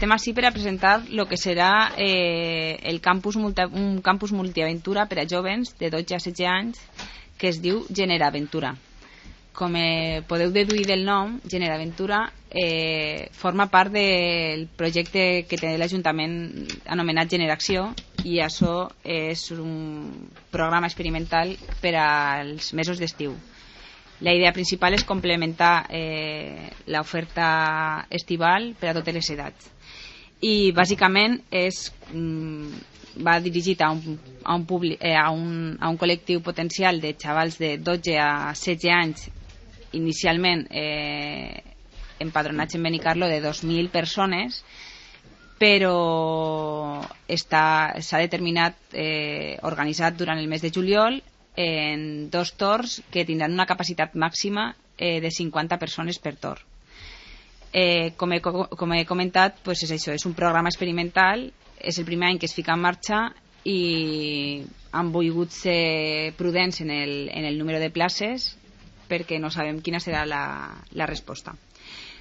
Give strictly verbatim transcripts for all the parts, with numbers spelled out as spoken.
estem així per a presentar el que serà eh, el campus multi, un campus multiaventura per a jovens de dotze a setze anys que es diu Generaventura. Com eh, podeu deduir del nom, Generaventura eh, forma part del projecte que té l'Ajuntament anomenat Generació, i això és un programa experimental per als mesos d'estiu. La idea principal és complementar eh, l'oferta estival per a totes les edats. I bàsicament és, mm, va dirigit a un, a, un publi, eh, a, un, a un col·lectiu potencial de xavals de dotze a setze anys, inicialment eh, empadronats en Benicarlo, de dos mil persones, però s'ha determinat eh, organitzat durant el mes de juliol en dos torns que tindran una capacitat màxima eh, de cinquanta persones per torn. Eh, com, he, com he comentat, pues és això, és un programa experimental, és el primer any que es fica en marxa i han volgut ser prudents en el, en el número de places perquè no sabem quina serà la, la resposta.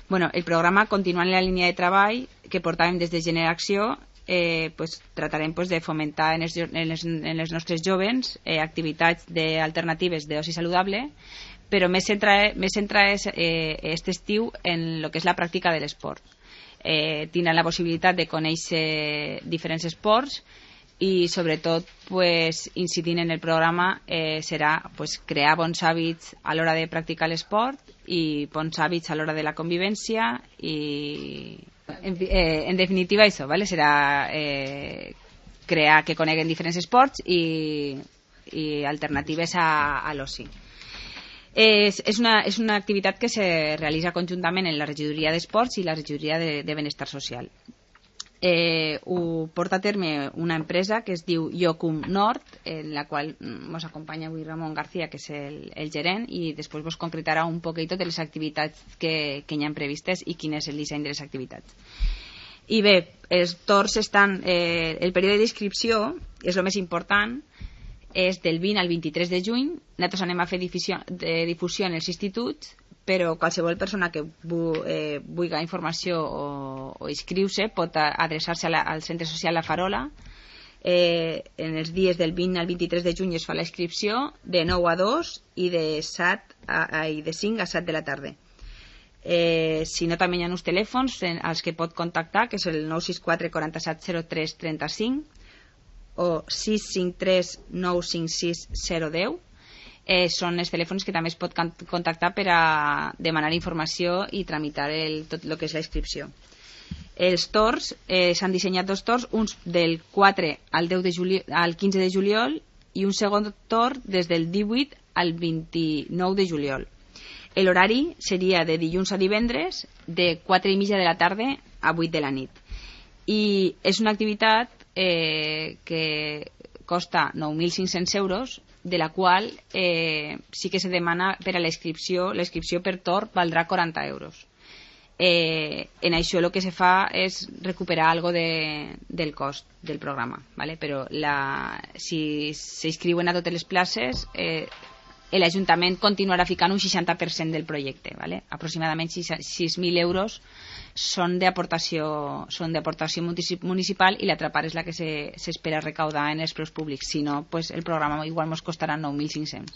Bueno, el programa, continuant la línia de treball que portàvem des de Generació, eh, pues, tratarem pues, de fomentar en els, en els, en els nostres jovens eh, activitats de, alternatives d'oci saludable, però més centra, més centra és eh, aquest estiu en el que és la pràctica de l'esport. Eh, tindran la possibilitat de conèixer diferents esports i sobretot pues, incidint en el programa eh, serà pues, crear bons hàbits a l'hora de practicar l'esport i bons hàbits a l'hora de la convivència i en, eh, en definitiva això, ¿vale? Serà eh, crear que coneguen diferents esports i, i alternatives a, a l'oci. És, és, una, és una activitat que se realitza conjuntament en la regidoria d'esports i la regidoria de, de benestar social. Eh, ho porta a terme una empresa que es diu Iocum Nord, en la qual ens acompanya avui Ramon García, que és el, el gerent, i després vos concretarà un poquet de les activitats que, que hi ha previstes i quin és el disseny de les activitats. I bé, els torns estan... Eh, el període d'inscripció és el més important, és del vint al vint-i-tres de juny. Nosaltres anem a fer difusió, de difusió en els instituts, però qualsevol persona que vu, eh, vulgui informació o, o inscriu-se pot adreçar-se a la, al Centre Social La Farola. Eh, en els dies del vint al vint-i-tres de juny es fa la inscripció de nou a dos i de, set a, a, i de cinc a set de la tarda. Eh, si no, també hi ha uns telèfons en, als que pot contactar, que és el nou sis quatre quatre set zero tres tres cinc o sis cinc tres nou cinc sis zero un zero. Eh, són els telèfons que també es pot contactar per a demanar informació i tramitar el, tot el que és la inscripció. Els torns, eh, s'han dissenyat dos torns, uns del quatre al, deu de juliol, al quinze de juliol i un segon torn des del divuit al vint-i-nou de juliol. L'horari seria de dilluns a divendres de quatre i mitja de la tarda a vuit de la nit. I és una activitat eh, que costa nou mil cinc-cents euros, de la qual eh, sí que se demana per a la inscripció, la inscripció per torn valdrà quaranta euros. Eh, en això el que se fa és recuperar algo de, del cost del programa, ¿vale? Però la, si s'inscriuen a totes les places, eh, l'Ajuntament continuarà ficant un seixanta per cent del projecte, ¿vale? Aproximadament sis mil euros són d'aportació són d'aportació municipal i l'altra part és la que s'espera recaudar en els preus públics. Si no, pues el programa igual ens costarà nou mil cinc-cents.